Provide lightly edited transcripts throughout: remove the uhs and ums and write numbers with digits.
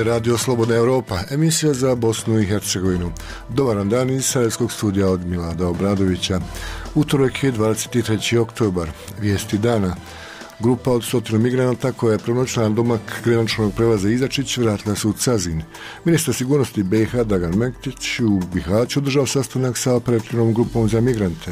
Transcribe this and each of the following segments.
je Radio Slobodna Evropa, emisija za Bosnu i Hercegovinu. Dobar dan iz Sarajevskog studija od Milada Obradovića. Utorak je 23. oktobar, vijesti dana. Grupa od 100 migranata koja je prenoćila na domak graničnog prelaza Izačić vratila se u Cazin. Ministar sigurnosti BiH Dragan Mektić u Bihaću održao sastanak sa operativnom grupom za migrante.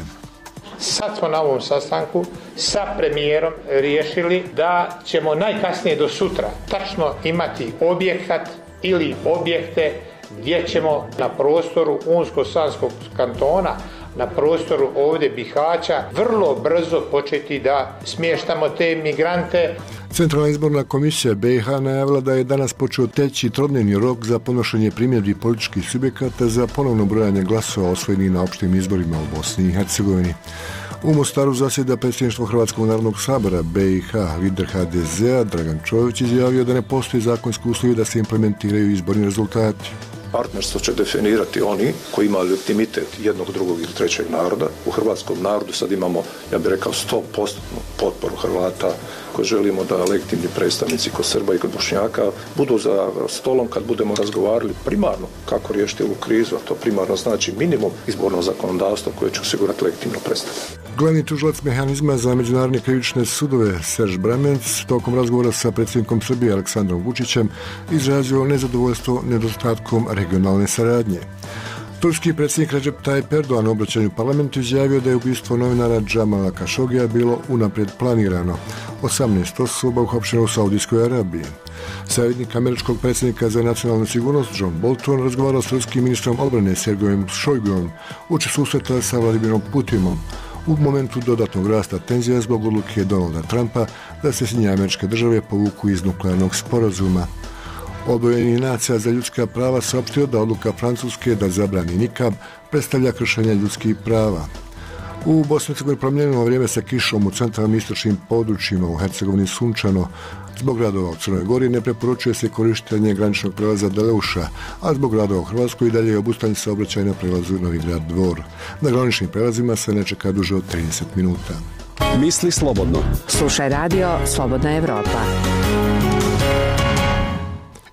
Sad smo na ovom sastanku sa premijerom riješili da ćemo najkasnije do sutra tačno imati objekat ili objekte gdje ćemo na prostoru Unsko-Sanskog kantona, na prostoru ovdje Bihaća, vrlo brzo početi da smještamo te migrante. Centralna izborna komisija BiH najavila da je danas počeo teći trodnevni rok za podnošenje primjedbi političkih subjekata za ponovno brojanje glasova osvojenih na opštim izborima u Bosni i Hercegovini. U Mostaru zasjeda predsjedništvo Hrvatskog narodnog sabora BiH. Lider HDZ-a Dragan Čović izjavio da ne postoji zakonski uslovi da se implementiraju izborni rezultati. Partnerstvo će definirati oni koji imaju legitimitet jednog, drugog ili trećeg naroda. U hrvatskom narodu sad imamo, ja bih rekao, 100% potporu Hrvata koji želimo da legitimni predstavnici kod Srba i kod Bošnjaka budu za stolom kad budemo razgovarali primarno kako riješiti ovu krizu, a to primarno znači minimum izbornog zakonodavstva koje će osigurati legitimno predstavljanje. Glavni tužilac mehanizma za međunarodne krivične sudove Serž Bramenc tokom razgovora sa predsjednikom Srbije Aleksandrom Vučićem izrazio nezadovoljstvo nedostatkom regionalne saradnje. Turski predsjednik Recep Tayyip Erdogan u obraćanju parlamentu izjavio da je ubistvo novinara Džamala Kašogija bilo unaprijed planirano. 18 osoba uhapšeno u Saudijskoj Arabiji. Savjetnik američkog predsjednika za nacionalnu sigurnost John Bolton razgovarao s ruskim ministrom odbrane Sergejem Šojgom uoči susreta sa Vladimirom Putinom u momentu dodatnog rasta tenzija zbog odluke Donalda Trumpa da se Sjedinjene Američke Države povuku iz nuklearnog sporazuma. Odbor UN-a za ljudska prava saopštio da odluka Francuske da zabrani nikab predstavlja kršenje ljudskih prava. U Bosni i Hercegovini promijenjeno vrijeme sa kišom u centralnim istočnim područjima, u Hercegovini sunčano. Zbog radova u Crnoj Gori ne preporučuje se korištenje graničnog prelaza Deleuša, a zbog radova u Hrvatskoj i dalje je obustavljen saobraćaj na prelazu Novi Grad Dvor. Na graničnim prelazima se ne čeka duže od 30 minuta. Misli slobodno. Slušaj radio Slobodna Evropa.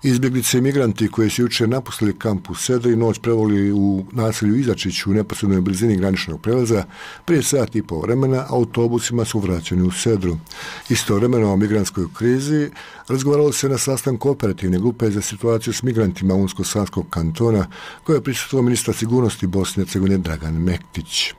Izbjeglice i migranti koji su jučer napustili kamp u Sedri noć prevoli u naselju Izačiću u neposrednoj blizini graničnog prelaza, prije sat i pol vremena autobusima su vraćeni u Sedru. Istovremeno o migrantskoj krizi razgovaralo se na sastanku operativne grupe za situaciju s migrantima Unsko-Sanskog kantona koje je prisustvovao ministar sigurnosti Bosne i Hercegovine Dragan Mektić.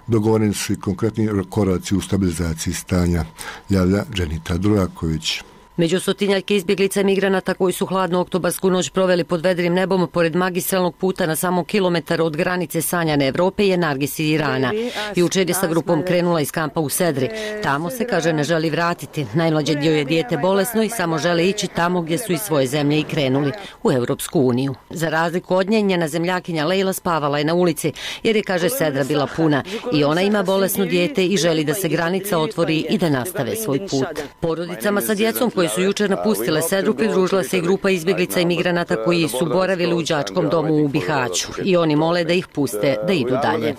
Dogovoreni su i konkretni koraci u stabilizaciji stanja, javlja Dženita Duraković. Među stotinjake izbjeglica i migranata koji su hladnu oktobarsku noć proveli pod vedrim nebom pored magistralnog puta na samo kilometar od granice sanjane Evrope je Nargis iz Irana. Jučer je sa grupom krenula iz kampa u Sedri. Tamo se, kaže, ne želi vratiti. Najmlađe dio je dijete bolesno i samo žele ići tamo gdje su iz svoje zemlje i krenuli, u Europsku uniju. Za razliku od nje, njena zemljakinja Lejla spavala je na ulici jer je, kaže, Sedra bila puna. I ona ima bolesno dijete i želi da se granica otvori i da nastave svoj put. Porodicama sa djecom koji su jučer napustile Sedru pridružila se i grupa izbjeglica i migranata koji su boravili u đačkom domu u Bihaću i oni mole da ih puste da idu dalje.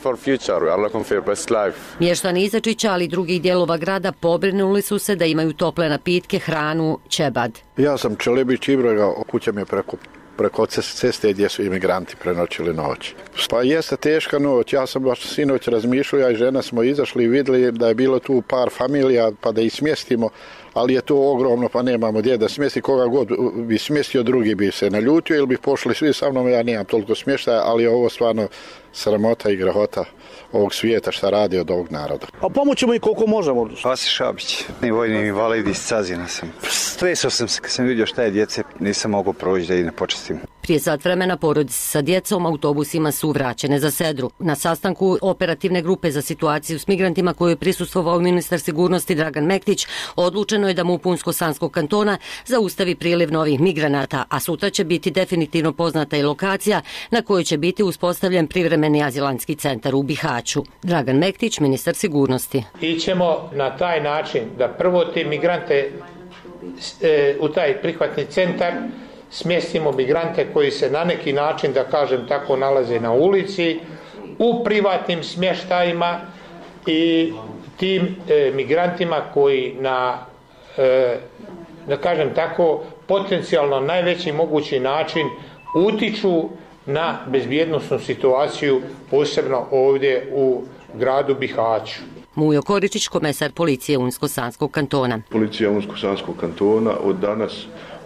Mještani Izačića, ali i drugih dijelova grada pobrinuli su se da imaju tople napitke, hranu, ćebad. Ja sam Čelebić Ibraga, kuća mi je preko ceste gdje su imigranti prenoćili noć. Pa jeste teška noć, ja sam baš sinoć razmišljao, ja i žena smo izašli i vidjeli da je bilo tu par familija pa da ih smjestimo, ali je to ogromno pa nemamo gdje da smjesti, koga god bi smjestio drugi bi se naljutio ili bi pošli svi sa mnom, ja nemam toliko smještaja, ali je ovo stvarno sramota i grahota ovog svijeta šta radi od ovog naroda. A pomoćemo i koliko možemo. Vasi Šabić, vojni invalid iz Cazina sam. Stresao sam se kad sam vidio šta je djece, nisam mogao proći da i ne počestim. Prije sat vremena porodice sa djecom autobusima su vraćene za Sedru. Na sastanku operativne grupe za situaciju s migrantima koju je prisustvovao ministar sigurnosti Dragan Mektić, odlučeno je da MUP Unsko-Sanskog kantona zaustavi priliv novih migranata, a sutra će biti definitivno poznata i lokacija na kojoj će biti uspostavljen privremeni azilantski centar u Bihaću. Dragan Mektić, ministar sigurnosti. Ićemo na taj način da prvo te migrante u taj prihvatni centar smjestimo migrante koji se na neki način, da kažem tako, nalaze na ulici, u privatnim smještajima i tim migrantima koji da kažem tako, potencijalno najveći mogući način utiču na bezbjednosnu situaciju, posebno ovdje u gradu Bihaću. Mujo Koričić, komesar policije Unsko-Sanskog kantona. Policija Unsko-Sanskog kantona od danas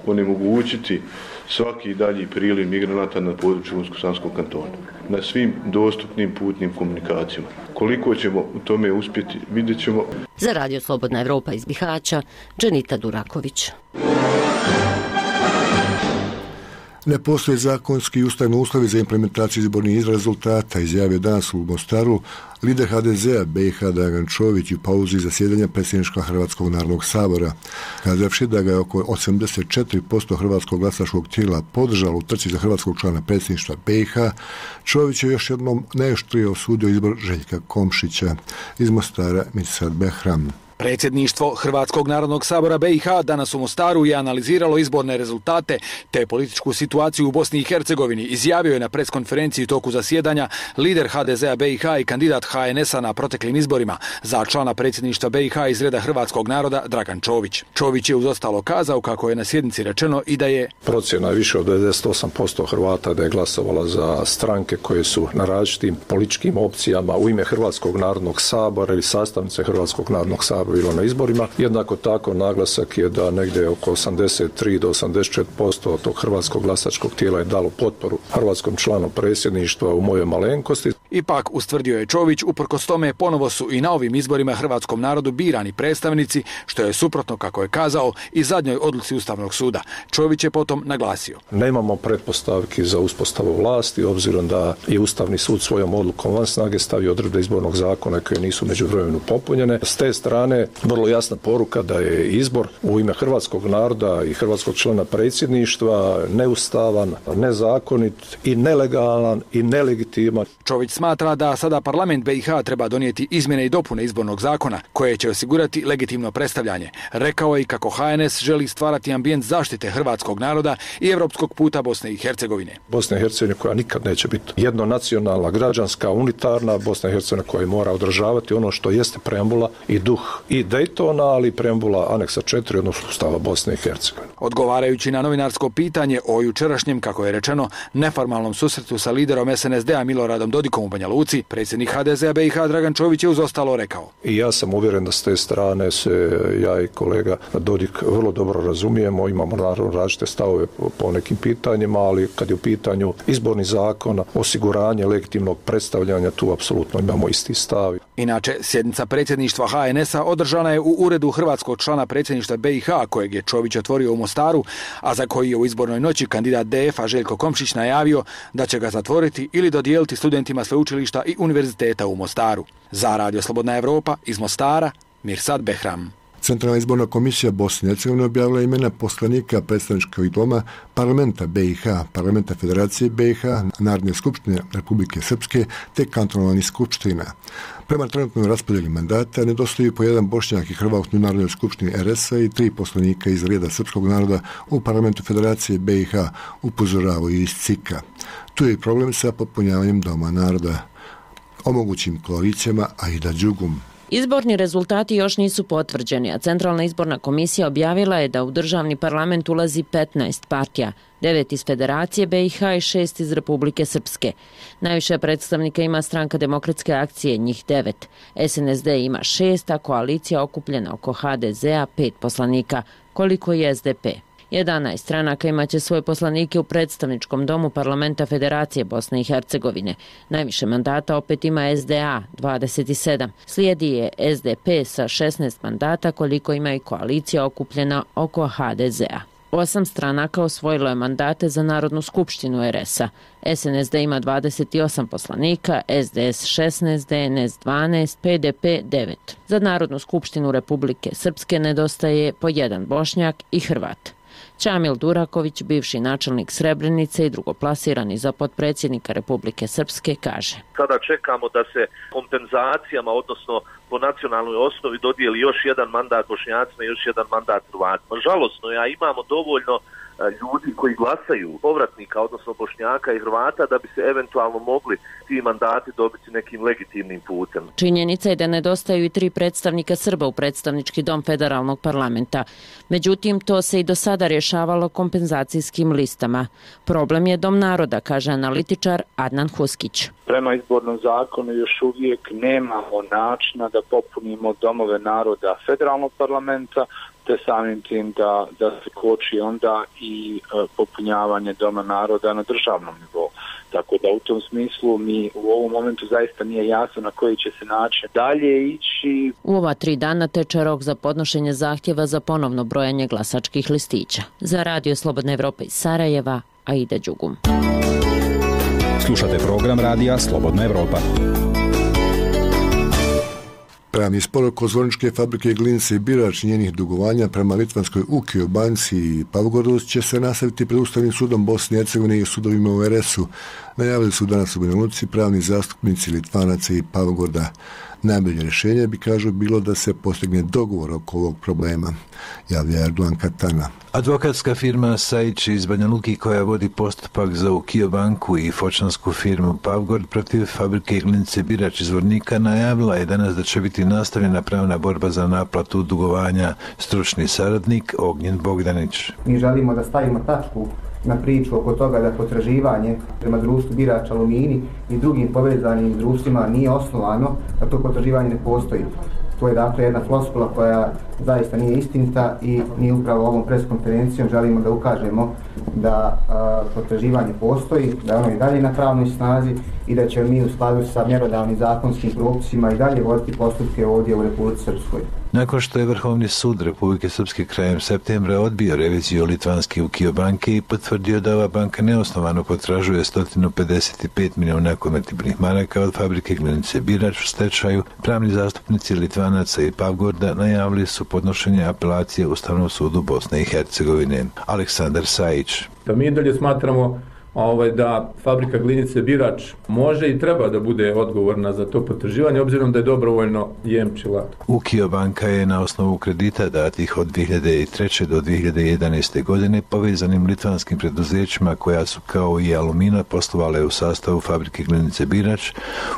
onemogućiti svaki dalji priliv migranata na području Unsko-Sanskog kantona na svim dostupnim putnim komunikacijama. Koliko ćemo u tome uspjeti, vidjet ćemo. Za Radio Slobodna Evropa iz Bihaća, Dženita Duraković. Ne postoje zakonski i ustavni uslovi za implementaciju izbornih rezultata, izjavio danas u Mostaru lider HDZ-a BiH Dragan Čović u pauzi zasjedanja predsjedništva Hrvatskog narodnog sabora. Kazavši da ga je oko 84% hrvatskog glasačkog tijela podržalo u trci za hrvatskog člana predsjedništva BiH, Čović je još jednom najoštrije osudio izbor Željka Komšića. Iz Mostara Mirsad Behram. Predsjedništvo Hrvatskog narodnog sabora BiH danas u Mostaru je analiziralo izborne rezultate te političku situaciju u Bosni i Hercegovini, izjavio je na preskonferenciji u toku zasjedanja lider HDZ-a BiH i kandidat HNS-a na proteklim izborima za člana predsjedništva BiH iz reda hrvatskog naroda Dragan Čović. Čović je uz ostalo kazao kako je na sjednici rečeno i da je procjena više od 98% Hrvata da je glasovala za stranke koje su na različitim političkim opcijama u ime Hrvatskog narodnog sabora ili sastavnice Hrvatskog narodnog sabora bilo na izborima. Jednako tako naglasak je da negdje oko 83 do 84% tog hrvatskog glasačkog tijela je dalo potporu hrvatskom članu predsjedništva u mojoj malenkosti. Ipak, ustvrdio je Čović, uprkos tome ponovo su i na ovim izborima hrvatskom narodu birani predstavnici, što je suprotno, kako je kazao, i zadnjoj odluci Ustavnog suda. Čović je potom naglasio: nemamo pretpostavki za uspostavu vlasti, obzirom da je Ustavni sud svojom odlukom van snage stavio odredbe izbornog zakona koje nisu međuvremenu popunjene. S te strane vrlo jasna poruka da je izbor u ime hrvatskog naroda i hrvatskog člana predsjedništva neustavan, nezakonit i nelegalan i nelegitiman. Čović smatra da sada parlament BiH treba donijeti izmjene i dopune izbornog zakona koje će osigurati legitimno predstavljanje. Rekao je i kako HNS želi stvarati ambijent zaštite hrvatskog naroda i europskog puta Bosne i Hercegovine. Bosna i Hercegovina koja nikad neće biti jednonacionalna, građanska, unitarna Bosna i Hercegovina koja mora održavati ono što jeste preambula i duh i Daytona, ali preambula aneksa 4, odnosno Ustava Bosne i Hercegovine. Odgovarajući na novinarsko pitanje o jučerašnjem, kako je rečeno, neformalnom susretu sa liderom SNSD-a Miloradom Dodikom u Banja Luci, predsjednik HDZ-a BiH Dragan Čović je uz ostalo rekao: i ja sam uvjeren da s te strane se ja i kolega Dodik vrlo dobro razumijemo, imamo naravno različite stavove po nekim pitanjima, ali kad je u pitanju izborni zakon, osiguranje legitimnog predstavljanja, tu apsolutno imamo isti stav. Inače, sjednica predsjedništva HNS-a održana je u uredu hrvatskog člana predsjedništva BiH, kojeg je Čović otvorio u Mostaru, a za koji je u izbornoj noći kandidat DF-a Željko Komšić najavio da će ga zatvoriti ili dodijeliti studentima sveučilišta i univerziteta u Mostaru. Za Radio Slobodna Evropa iz Mostara, Mirsad Behram. Centralna izborna komisija Bosne i Hercegovine objavila imena poslanika predstavničkog doma parlamenta BiH, parlamenta Federacije BiH, Narodne skupštine Republike Srpske te kantonalnih skupština. Prema trenutnoj raspodjeli mandata nedostaju po jedan Bošnjak i Hrvat u Narodnoj skupštini RS-a i 3 poslanika iz reda srpskog naroda u parlamentu Federacije BiH, upozoravaju iz CIK-a. Tu je i problem sa popunjavanjem doma naroda. O mogućim koalicijama Aida Đugum. Izborni rezultati još nisu potvrđeni, a Centralna izborna komisija objavila je da u državni parlament ulazi 15 partija, 9 iz Federacije BiH i 6 iz Republike Srpske. Najviše predstavnika ima Stranka demokratske akcije, njih 9. SNSD ima 6, a koalicija okupljena oko HDZ-a 5 poslanika, koliko i SDP. 11 stranaka imaće svoje poslanike u predstavničkom domu parlamenta Federacije Bosne i Hercegovine. Najviše mandata opet ima SDA, 27. Slijedi je SDP sa 16 mandata, koliko ima i koalicija okupljena oko HDZ-a. 8 stranaka osvojilo je mandate za Narodnu skupštinu RS-a. SNSD ima 28 poslanika, SDS 16, DNS 12, PDP 9. Za Narodnu skupštinu Republike Srpske nedostaje po jedan Bošnjak i Hrvat. Čamil Duraković, bivši načelnik Srebrenice i drugoplasirani za potpredsjednika Republike Srpske, kaže: sada čekamo da se kompenzacijama, odnosno po nacionalnoj osnovi, dodijeli još jedan mandat Bošnjacima i još jedan mandat Hrvatima. Žalosno je, a imamo dovoljno ljudi koji glasaju, povratnika, odnosno Bošnjaka i Hrvata, da bi se eventualno mogli ti mandati dobiti nekim legitimnim putem. Činjenica je da nedostaju i 3 predstavnika Srba u predstavnički dom federalnog parlamenta. Međutim, to se i do sada rješavalo kompenzacijskim listama. Problem je Dom naroda, kaže analitičar Adnan Huskić. Prema izbornom zakonu još uvijek nemamo načina da popunimo domove naroda federalnog parlamenta, te samim tim da se koči onda i popunjavanje Doma naroda na državnom nivou. Tako da u tom smislu mi u ovom momentu zaista nije jasno na koji će se način dalje ići. U ova 3 dana teče rok za podnošenje zahtjeva za ponovno brojanje glasačkih listića. Za Radio Slobodna Evropa iz Sarajeva, Aida Đugum. Slušate program Radija Slobodna Evropa. Pravni spor oko Zvorničke fabrike Glinice i Birač i njenih dugovanja prema litvanskoj UKIO banci i Pavgodu će se nastaviti pred Ustavnim sudom Bosne i Hercegovine i sudovima u RS-u. Najavili su danas u Banja Luci pravni zastupnici Litvanaca i Pavgoda. Najbolje rješenje bi, kažu, bilo da se postigne dogovor oko ovog problema, javlja Erdogan Katana. Advokatska firma Sajić iz Banja Luki, koja vodi postupak za UKIO banku i fočansku firmu Pavgord protiv fabrike Glinice Birač iz Zvornika, najavila je danas da će biti nastavljena pravna borba za naplatu dugovanja. Stručni saradnik Ognjen Bogdanić. Mi želimo da stavimo tačku na priču oko toga da potraživanje prema društvu Birač Alumini i drugim povezanim društvima nije osnovano, da to potraživanje ne postoji. To je dakle jedna floskula koja zaista nije istinita i mi upravo ovom preskonferencijom želimo da ukažemo da potraživanje postoji, da ono i dalje na pravnoj snazi i da ćemo mi u skladu sa mjerodavnim zakonskim propisima i dalje voditi postupke ovdje u Republici Srpskoj. Nakon što je Vrhovni sud Republike Srpske krajem septembra odbio reviziju litvanske UKIO banke i potvrdio da ova banka neosnovano potražuje 155 milijuna konvertibilnih maraka od fabrike Glinice Birač u stečaju, pravni zastupnici Litvanaca i Pavgorda najavili su podnošenje apelacije Ustavnom sudu Bosne i Hercegovine. Aleksandar Sajić. Da mi dalje smatramo da fabrika Glinice Birač može i treba da bude odgovorna za to potraživanje, obzirom da je dobrovoljno jemčila. UKIO banka je na osnovu kredita datih od 2003. do 2011. godine povezanim litvanskim preduzećima koja su kao i Alumina poslovale u sastavu fabrike Glinice Birač,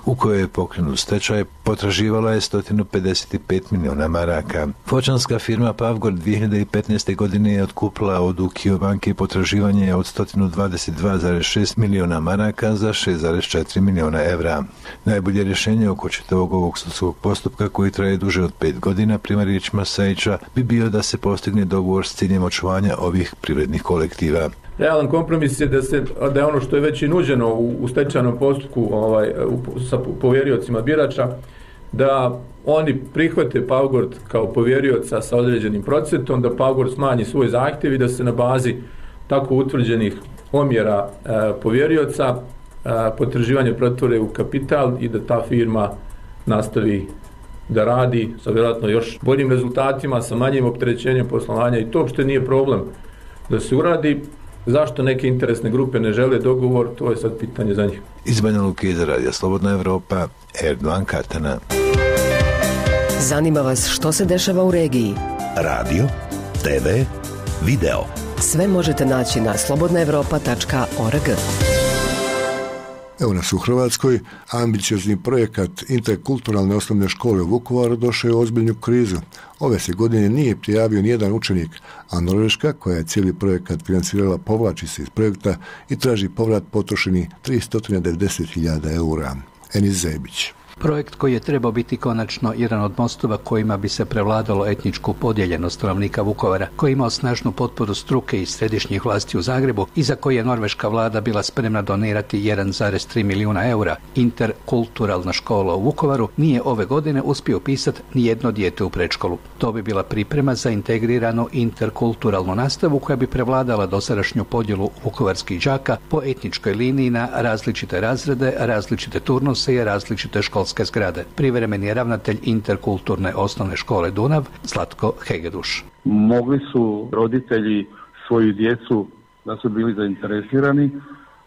u kojoj je pokrenut stečaj, potraživala je 155 milijuna maraka. Fočanska firma Pavgord 2015. godine je otkupila od UKIO banke potraživanje od 122,6 milijuna maraka za 6,4 milijuna evra. Najbolje rješenje oko čitavog ovog sudskog postupka, koji traje duže od 5 godina, prema riječima Sajića, bi bio da se postigne dogovor s ciljem očuvanja ovih privrednih kolektiva. Realan kompromis je da je ono što je već i nuđeno u stečajnom postupku sa povjeriocima Birača, da oni prihvate Pavgord kao povjerioca sa određenim procentom, da Pavgord smanji svoj zahtjev i da se na bazi tako utvrđenih omjera povjerioca potraživanje pretvore u kapital i da ta firma nastavi da radi sa vjerojatno još boljim rezultatima, sa manjim opterećenjem poslovanja, i to uopšte nije problem da se uradi. Zašto neke interesne grupe ne žele dogovor, to je sad pitanje za njih. Iz Banja Luke za Radio Slobodna Evropa, Erdogan Katana. Zanima vas što se dešava u regiji? Radio, TV, video. Sve možete naći na slobodnaevropa.org. Evo nas u Hrvatskoj. Ambiciozni projekat interkulturalne osnovne škole u Vukovaru došao je u ozbiljnu krizu. Ove se godine nije prijavio nijedan učenik, a Norveška, koja je cijeli projekat financirala, povlači se iz projekta i traži povrat potrošenih 390.000 eura. Enis Zebić. Projekt koji je trebao biti konačno jedan od mostova kojima bi se prevladalo etničku podijeljenost stanovnika Vukovara, koji je imao snažnu potporu struke i središnjih vlasti u Zagrebu i za koji je norveška vlada bila spremna donirati 1,3 milijuna eura. Interkulturalna škola u Vukovaru nije ove godine uspio upisati ni jedno dijete u predškolu. To bi bila priprema za integriranu interkulturalnu nastavu koja bi prevladala dosadašnju podjelu vukovarskih đaka po etničkoj liniji na različite razrede, različite turnuse i različite školske zgrade. Privremeni je ravnatelj interkulturne osnovne škole Dunav, Zlatko Hegeduš. Mogli su roditelji svoju djecu, da su bili zainteresirani,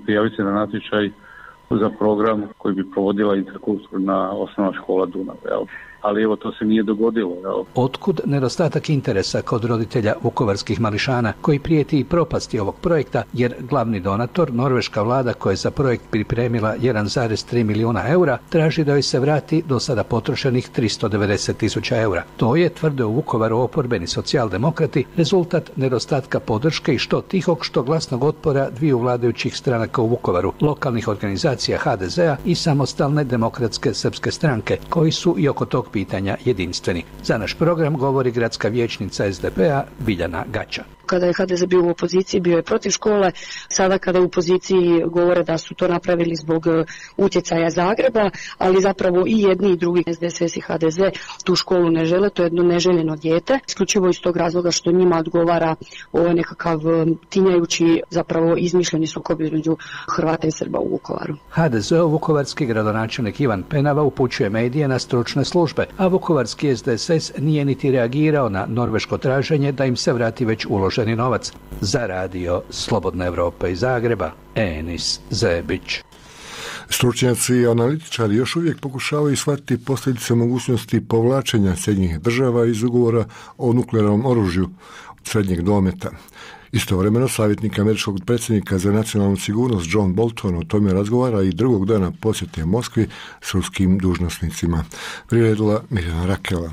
prijaviti se na natječaj za program koji bi provodila interkulturna osnovna škola Dunav. ali evo to se nije dogodilo. Jel? Otkud nedostatak interesa kod roditelja vukovarskih mališana koji prijeti i propasti ovog projekta, jer glavni donator, norveška vlada koja je za projekt pripremila 1,3 milijuna eura, traži da joj se vrati do sada potrošenih 390.000 eura. To je, tvrde u Vukovaru oporbeni socijaldemokrati, rezultat nedostatka podrške i što tihog, što glasnog otpora dviju vladajućih stranaka u Vukovaru, lokalnih organizacija HDZ-a i samostalne demokratske srpske stranke, koji su i oko tog pitanja jedinstveni. Za naš program govori gradska vijećnica SDP-a Biljana Gača. Kada je HDZ bio u opoziciji, bio je protiv škole. Sada kada je u poziciji govore da su to napravili zbog utjecaja Zagreba, ali zapravo i jedni i drugi, SDSS i HDZ, tu školu ne žele, to je jedno neželjeno dijete. Isključivo iz tog razloga što njima odgovara ovo nekakav tinjajući, zapravo izmišljeni sukob između Hrvata i Srba u Vukovaru. HDZ-ov vukovarski gradonačelnik Ivan Penava upućuje medije na stručne službe, a vukovarski SDSS nije niti reagirao na norveško traženje da im se vrati već uloženi novac. Za radio Slobodna Evropa iz Zagreba, Enis Zebić. Stručnjaci i analitičari još uvijek pokušavaju shvatiti posljedice mogućnosti povlačenja Sjedinjenih država iz ugovora o nuklearnom oružju srednjeg dometa. Istovremeno, savjetnik američkog predsjednika za nacionalnu sigurnost John Bolton o tome razgovara i drugog dana posjete Moskvi s ruskim dužnosnicima. Priredila Mirjana Rakela.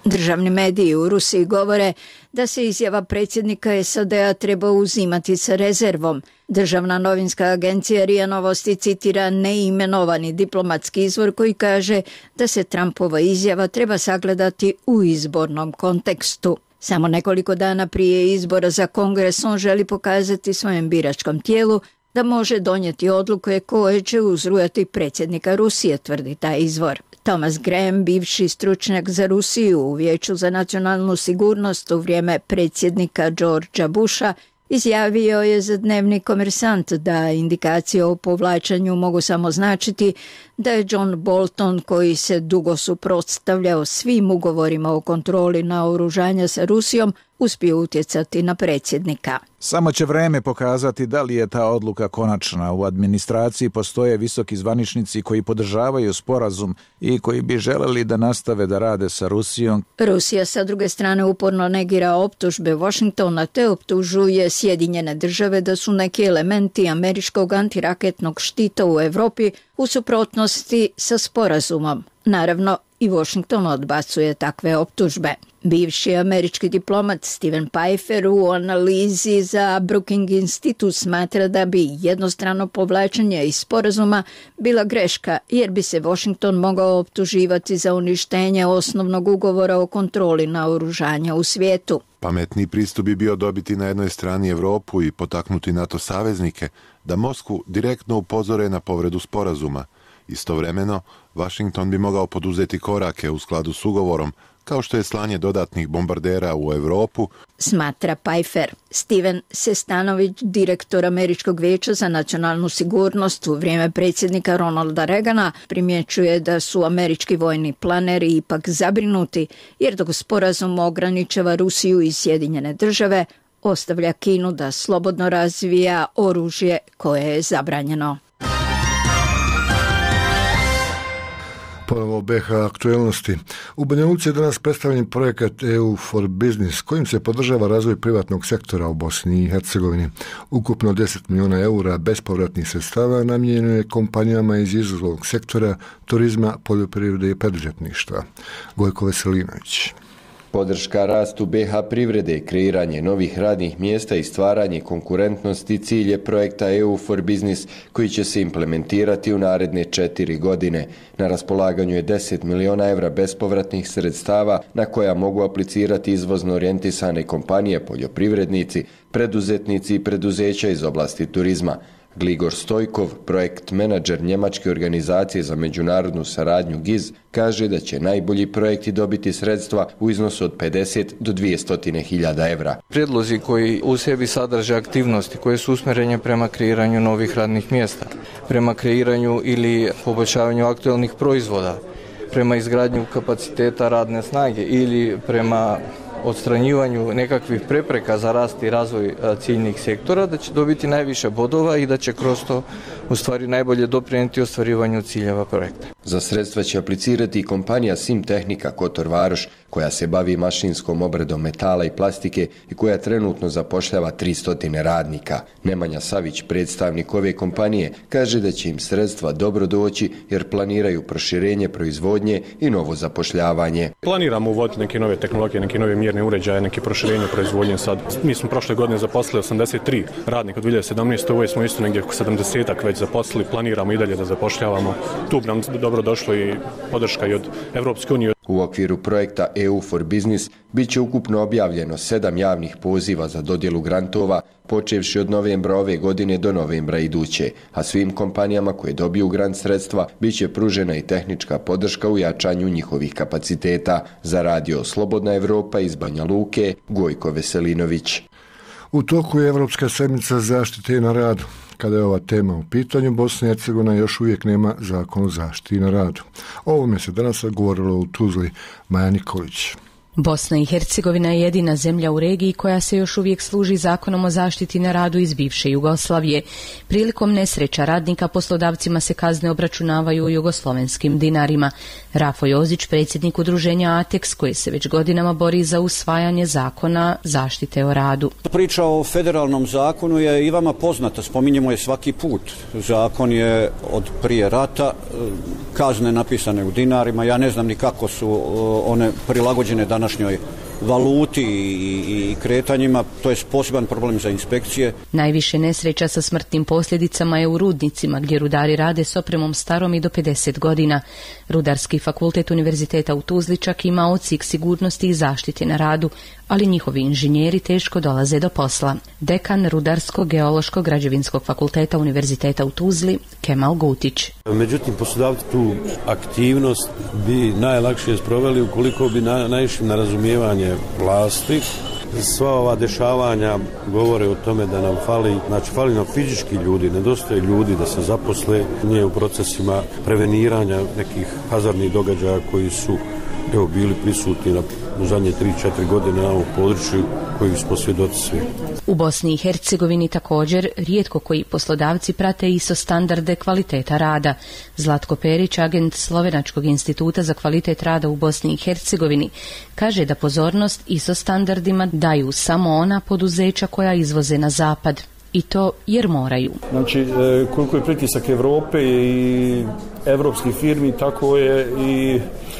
Državni mediji u Rusiji govore da se izjava predsjednika SAD-a treba uzimati sa rezervom. Državna novinska agencija RIA Novosti citira neimenovani diplomatski izvor koji kaže da se Trumpova izjava treba sagledati u izbornom kontekstu. Samo nekoliko dana prije izbora za Kongres on želi pokazati svojem biračkom tijelu da može donijeti odluke koje će uzrujati predsjednika Rusije, tvrdi taj izvor. Thomas Graham, bivši stručnjak za Rusiju u Vijeću za nacionalnu sigurnost u vrijeme predsjednika Georgea Busha, izjavio je za dnevni Komersant da indikacije o povlačenju mogu samo značiti da je John Bolton, koji se dugo suprotstavljao svim ugovorima o kontroli naoružanja sa Rusijom, uspio utjecati na predsjednika. Samo će vreme pokazati da li je ta odluka konačna. U administraciji postoje visoki zvaničnici koji podržavaju sporazum i koji bi želeli da nastave da rade sa Rusijom. Rusija sa druge strane uporno negira optužbe Washingtona te optužuje Sjedinjene države da su neki elementi američkog antiraketnog štita u Europi u suprotnosti sa sporazumom. Naravno, i Washington odbacuje takve optužbe. Bivši američki diplomat Steven Pifer u analizi za Brookings Institute smatra da bi jednostrano povlačenje iz sporazuma bila greška, jer bi se Washington mogao optuživati za uništenje osnovnog ugovora o kontroli naoružanja u svijetu. Pametniji pristup bi bio dobiti na jednoj strani Europu i potaknuti NATO saveznike da Moskvu direktno upozore na povredu sporazuma. Istovremeno, Washington bi mogao poduzeti korake u skladu s ugovorom, kao što je slanje dodatnih bombardera u Europu, smatra Pfeiffer. Steven Sestanović, direktor Američkog vijeća za nacionalnu sigurnost u vrijeme predsjednika Ronalda Reagana, primjećuje da su američki vojni planeri ipak zabrinuti, jer dok sporazum ograničava Rusiju i Sjedinjene države, ostavlja Kinu da slobodno razvija oružje koje je zabranjeno. Ponovo BiH aktuelnosti. U Banja Luci je danas predstavljen projekat EU for Business, kojim se podržava razvoj privatnog sektora u Bosni i Hercegovini. Ukupno 10 milijuna eura bespovratnih sredstava namijenjeno je kompanijama iz izvoznog sektora, turizma, poljoprivrede i preduzetništva. Gojko Veselinović. Podrška rastu BiH privrede, kreiranje novih radnih mjesta i stvaranje konkurentnosti cilj je projekta EU for Business koji će se implementirati u naredne 4 godine. Na raspolaganju je 10 milijuna evra bespovratnih sredstava na koja mogu aplicirati izvozno orijentisane kompanije, poljoprivrednici, preduzetnici i preduzeća iz oblasti turizma. Gligor Stojkov, projekt menadžer njemačke organizacije za međunarodnu saradnju GIZ, kaže da će najbolji projekti dobiti sredstva u iznosu od 50 do 200.000 evra. Prijedlozi koji u sebi sadrže aktivnosti koje su usmjerene prema kreiranju novih radnih mjesta, prema kreiranju ili poboljšavanju aktualnih proizvoda, prema izgradnju kapaciteta radne snage ili prema odstranjivanju nekakvih prepreka za rast i razvoj ciljnih sektora, da će dobiti najviše bodova i da će kroz to u stvari najbolje doprinijeti ostvarivanju ciljeva projekta. Za sredstva će aplicirati i kompanija Sim Tehnika Kotor Varoš, koja se bavi mašinskom obradom metala i plastike i koja trenutno zapošljava 300 radnika. Nemanja Savić, predstavnik ove kompanije, kaže da će im sredstva dobro doći jer planiraju proširenje proizvodnje i novo zapošljavanje. Planiramo uvoditi neke nove tehnologije, neke nove mjerne uređaje, neke proširenje proizvodnje sad. Mi smo prošle godine zaposlili 83 radnika od 2017. Ovo smo isto negdje oko 70-ak već zaposlili, planiramo i dalje da zapošljavamo. Tu bi nam dobro došlo i podrška i od Evropske unije. U okviru projekta EU for Business bit će ukupno objavljeno 7 javnih poziva za dodjelu grantova, počevši od novembra ove godine do novembra iduće, a svim kompanijama koje dobiju grant sredstva bit će pružena i tehnička podrška u jačanju njihovih kapaciteta. Za Radio Slobodna Evropa iz Banja Luke, Gojko Veselinović. U toku je Evropska sedmica zaštite na radu. Kada je ova tema u pitanju, Bosna i Hercegovina još uvijek nema zakon o zaštiti na radu. O ovome se danas govorilo u Tuzli. Maja Nikolić. Bosna i Hercegovina je jedina zemlja u regiji koja se još uvijek služi zakonom o zaštiti na radu iz bivše Jugoslavije. Prilikom nesreća radnika poslodavcima se kazne obračunavaju u jugoslovenskim dinarima. Rafo Jozić, predsjednik udruženja ATEX, koji se već godinama bori za usvajanje zakona zaštite o radu. Priča o federalnom zakonu je i vama poznata, spominjemo je svaki put. Zakon je od prije rata, kazne napisane u dinarima, ja ne znam ni kako su one prilagođene današnjoj valuti i kretanjima, to je poseban problem za inspekcije. Najviše nesreća sa smrtnim posljedicama je u rudnicima, gdje rudari rade s opremom starom i do 50 godina. Rudarski fakultet Univerziteta u Tuzli čak ima odsjek sigurnosti i zaštite na radu, ali njihovi inženjeri teško dolaze do posla. Dekan Rudarsko-geološkog građevinskog fakulteta Univerziteta u Tuzli, Kemal Gutić. Međutim, poslodavci tu aktivnost bi najlakše sproveli ukoliko bi naišli na razumijevanje vlasti. Sva ova dešavanja govore o tome da nam fali nam fizički ljudi, nedostaje ljudi da se zaposle, nije u procesima preveniranja nekih hazardnih događaja koji su bili prisutni u zadnje 3-4 godine na ovom području koji smo svjedoci svi. U Bosni i Hercegovini također rijetko koji poslodavci prate ISO standarde kvaliteta rada. Zlatko Perić, agent Slovenačkog instituta za kvalitet rada u Bosni i Hercegovini, kaže da pozornost ISO standardima daju samo ona poduzeća koja izvoze na zapad. I to jer moraju. Znači, koliko je pritisak Evrope i evropskih firmi, tako je i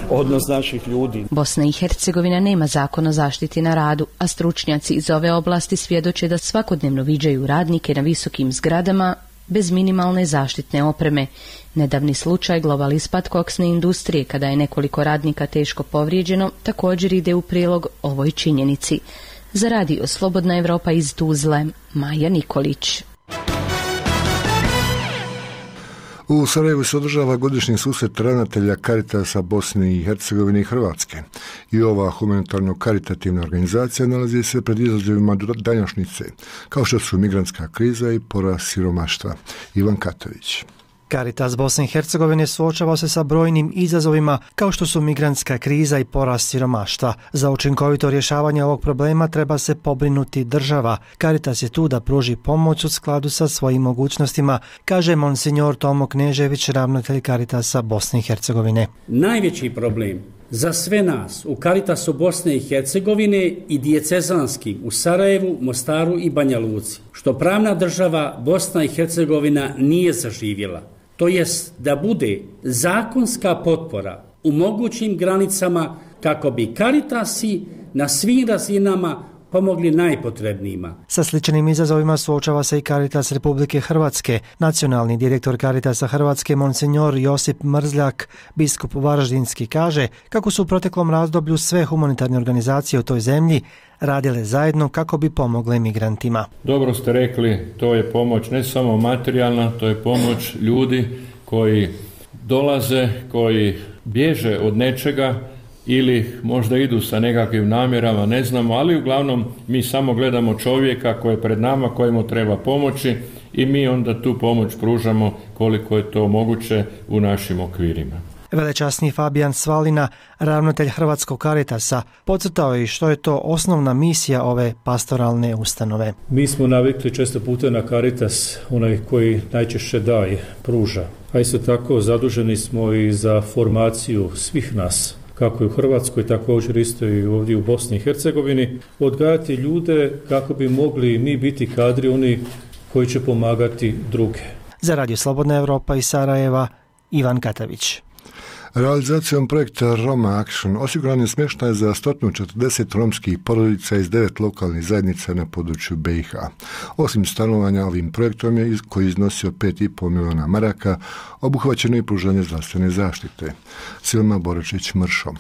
odnos naših ljudi. Bosna i Hercegovina nema zakon o zaštiti na radu, a stručnjaci iz ove oblasti svjedoče da svakodnevno viđaju radnike na visokim zgradama bez minimalne zaštitne opreme. Nedavni slučaj Global ispad koksne industrije, kada je nekoliko radnika teško povrijeđeno, također ide u prilog ovoj činjenici. Za Radio Slobodna Evropa iz Tuzle, Maja Nikolić. U Sarajevu se održava godišnji susret ravnatelja Caritasa Bosne i Hercegovine i Hrvatske. I ova humanitarno-karitativna organizacija nalazi se pred izazovima današnjice, kao što su migrantska kriza i porast siromaštva. Ivan Katović. Caritas Bosne i Hercegovine suočava se sa brojnim izazovima kao što su migrantska kriza i porast siromaštva. Za učinkovito rješavanje ovog problema treba se pobrinuti država. Caritas je tu da pruži pomoć u skladu sa svojim mogućnostima, kaže monsignor Tomo Knežević, ravnatelj Caritasa Bosne i Hercegovine. Najveći problem za sve nas u Caritasu Bosne i Hercegovine i dijecezanskim u Sarajevu, Mostaru i Banja Luci, što pravna država Bosna i Hercegovina nije zaživjela. To jest da bude zakonska potpora u mogućim granicama kako bi Caritasi na svim razinama pomogli najpotrebnijima. Sa sličnim izazovima suočava se i Caritas Republike Hrvatske. Nacionalni direktor Caritasa Hrvatske, monsignor Josip Mrzljak, biskup Varaždinski, kaže kako su u proteklom razdoblju sve humanitarne organizacije u toj zemlji radile zajedno kako bi pomogle migrantima. Dobro ste rekli, to je pomoć ne samo materijalna, to je pomoć ljudi koji dolaze, koji bježe od nečega ili možda idu sa nekakvim namjerama, ne znamo, ali uglavnom mi samo gledamo čovjeka koji je pred nama, kojemu treba pomoći i mi onda tu pomoć pružamo koliko je to moguće u našim okvirima. Velečasni Fabijan Svalina, ravnatelj Hrvatskog Caritasa, podcrtao je što je to osnovna misija ove pastoralne ustanove. Mi smo navikli često puta na Caritas, onaj koji najčešće daje, pruža. A isto tako zaduženi smo i za formaciju svih nas, kako i u Hrvatskoj, također isto i ovdje u Bosni i Hercegovini, odgajati ljude kako bi mogli mi biti kadri oni koji će pomagati druge. Za Radio Slobodna Evropa iz Sarajeva, Ivan Katavić. Realizacijom projekta Roma Action osiguran je smještaj za 140 romskih porodica iz 9 lokalnih zajednica na području BiH. Osim stanovanja ovim projektom je, koji je iznosio 5,5 milijuna maraka, obuhvaćeno i pružanje zdravstvene zaštite. Silma Boračić-Mršo.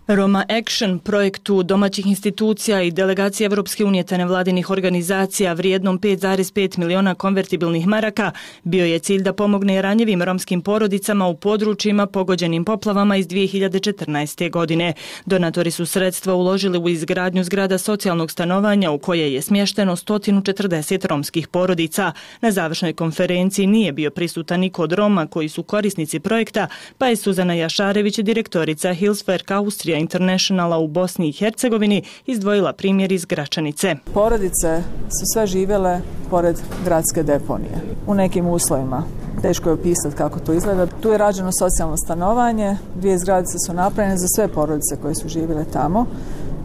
Roma Action, projektu domaćih institucija i delegacije Evropske unije te nevladinih organizacija vrijednom 5,5 miliona konvertibilnih maraka bio je cilj da pomogne ranjivim romskim porodicama u područjima pogođenim poplavama iz 2014. godine. Donatori su sredstva uložili u izgradnju zgrada socijalnog stanovanja u koje je smješteno 140 romskih porodica. Na završnoj konferenciji nije bio prisutan niko od Roma koji su korisnici projekta, pa je Suzana Jašarević, direktorica Hilswerk Austrija Internationala u Bosni i Hercegovini, izdvojila primjer iz Gračanice. Porodice su sve živjele pored gradske deponije, u nekim uslovima. Teško je opisati kako to izgleda. Tu je rađeno socijalno stanovanje, 2 zgradice su napravljene za sve porodice koje su živjele tamo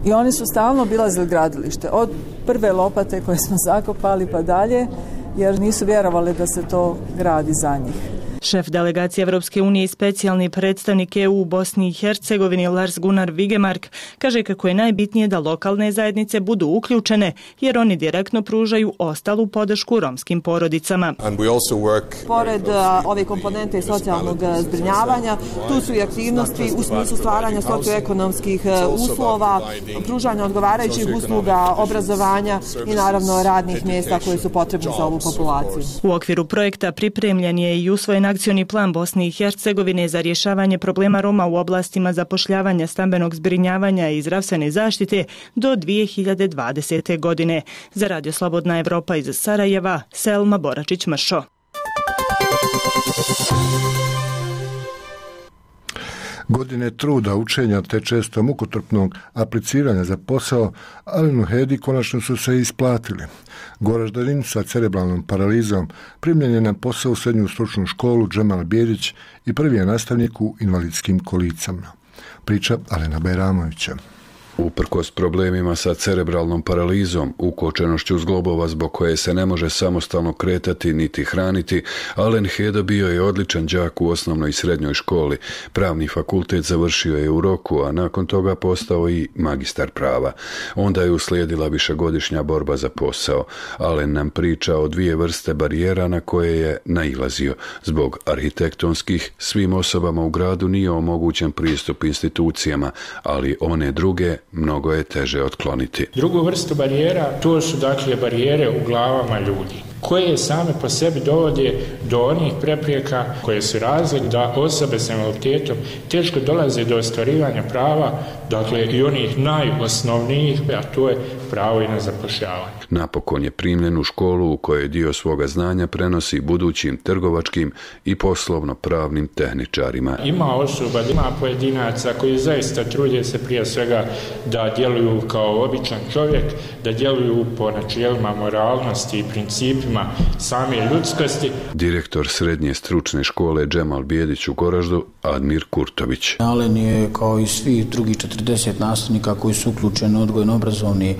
i oni su stalno obilazili gradilište, od prve lopate koje smo zakopali pa dalje, jer nisu vjerovali da se to gradi za njih. Šef delegacije Evropske unije i specijalni predstavnik EU u Bosni i Hercegovini Lars Gunnar Vigemark kaže kako je najbitnije da lokalne zajednice budu uključene jer oni direktno pružaju ostalu podršku romskim porodicama. Pored ove komponente socijalnog zbrinjavanja, tu su i aktivnosti u smislu stvaranja socioekonomskih uslova, pružanja odgovarajućih usluga, obrazovanja i naravno radnih mjesta koje su potrebne za ovu populaciju. U okviru projekta pripremljen je i usvojen akcioni plan Bosne i Hercegovine za rješavanje problema Roma u oblastima zapošljavanja, stambenog zbrinjavanja i zdravstvene zaštite do 2020. godine. Za Radio Slobodna Evropa iz Sarajeva, Selma Boračić-Mršo. Godine truda, učenja te često mukotrpnog apliciranja za posao Alenu Hedi konačno su se isplatili. Goraždanin sa cerebralnom paralizom primljen je na posao u srednju stručnu školu Džemal Bijedić i prvi je nastavnik u invalidskim kolicama. Priča Alena Bajramovića. Uprkos problemima sa cerebralnom paralizom, ukočenošću zglobova zbog koje se ne može samostalno kretati niti hraniti, Alen Heda bio je odličan đak u osnovnoj i srednjoj školi. Pravni fakultet završio je u roku, a nakon toga postao i magistar prava. Onda je uslijedila višegodišnja borba za posao. Alen nam priča o 2 vrste barijera na koje je nailazio. Zbog arhitektonskih, svim osobama u gradu nije omogućen pristup institucijama, ali one druge mnogo je teže otkloniti. Drugu vrstu barijera, to su dakle barijere u glavama ljudi, koje same po sebi dovode do onih prepreka koje su razlog da osobe s invaliditetom teško dolaze do ostvarivanja prava, dakle i onih najosnovnijih, a to je pravo i na zapošljavanje. Napokon je primljen u školu u kojoj dio svoga znanja prenosi budućim trgovačkim i poslovno-pravnim tehničarima. Ima osoba, ima pojedinaca koji zaista trude se prije svega da djeluju kao običan čovjek, da djeluju po načelima moralnosti i principima same ljudskosti. Direktor srednje stručne škole Džemal Bijedić u Goraždu, Admir Kurtović. Alen je kao i svi drugi 40 nastavnika koji su uključeni u odgojno-obrazovni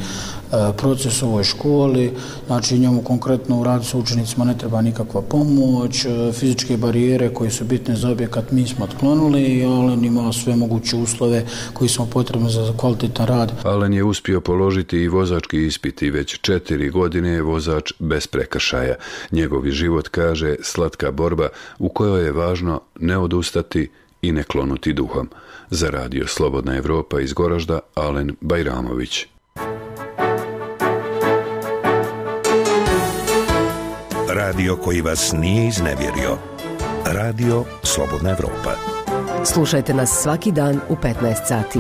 proces u ovoj školi, znači njemu konkretno u radu sa učenicima ne treba nikakva pomoć, fizičke barijere koje su bitne za objekat mi smo otklonuli i Alen ima sve moguće uslove koji su potrebni za kvalitetan rad. Alen je uspio položiti i vozački ispit i već 4 godine je vozač bez prekršaja. Njegovi život, kaže, slatka borba u kojoj je važno ne odustati i ne klonuti duhom. Za Radio Slobodna Evropa iz Goražda, Alen Bajramović. Radio koji vas nije iznevjerio. Radio Slobodna Evropa. Slušajte nas svaki dan u 15 sati.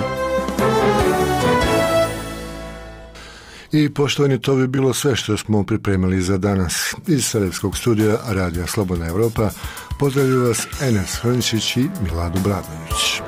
I poštovani, to bi bilo sve što smo pripremili za danas. Iz Sarajevskog studija Radija Slobodna Evropa Pozdravljaju vas Enes Hrnčić i Milado Bradović.